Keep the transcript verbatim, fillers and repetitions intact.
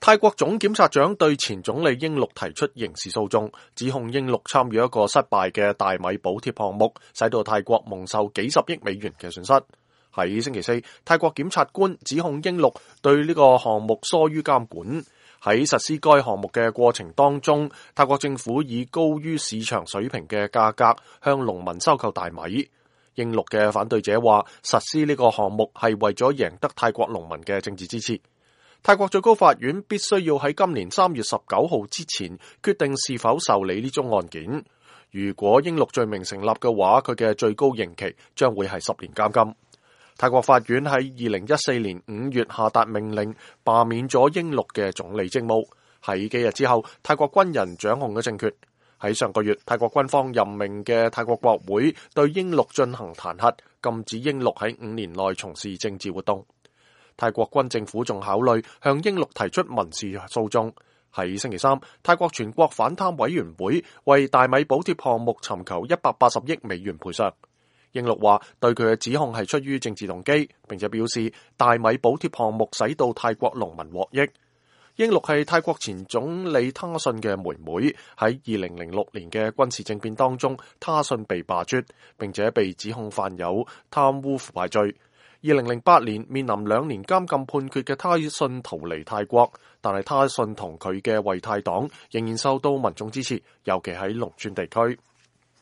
泰國總檢察長對前總理英祿提出刑事訴訟，指控英祿參與一個失敗嘅大米補貼項目，使到泰國蒙受幾十億美元嘅損失。喺星期四，泰國檢察官指控英祿對呢個項目疏於監管。喺實施該項目嘅過程當中，泰國政府以高於市場水平嘅價格向農民收購大米。英祿嘅反對者話，實施呢個項目係為咗贏得泰國農民嘅政治支持。泰國最高法院必須要喺今年三月十九號之前決定是否受理呢宗案件。如果英祿罪名成立嘅話，佢嘅最高刑期將會係十年監禁。泰國法院喺二零一四年五月下達命令，罷免咗英祿嘅總理職務。喺幾日之後，泰國軍人掌控咗政權。喺上個月，泰國軍方任命嘅泰國國會對英祿進行彈劾，禁止英祿喺五年內從事政治活動。泰國軍政府仲考慮向英祿提出民事訴訟。喺星期三，泰國全國反貪委員會為大米補貼項目尋求一百八十億美元賠償。英祿話對佢嘅指控係出於政治動機，並且表示大米補貼項目使到泰國農民獲益。英祿係泰國前總理他信嘅妹妹，喺二零零六年嘅軍事政變當中，他信被罷黜，並且被指控犯有貪污腐敗罪。二零零八年面臨兩年監禁判決嘅他信逃離泰國，但係他信同佢嘅為泰黨仍然受到民眾支持，尤其喺農村地區。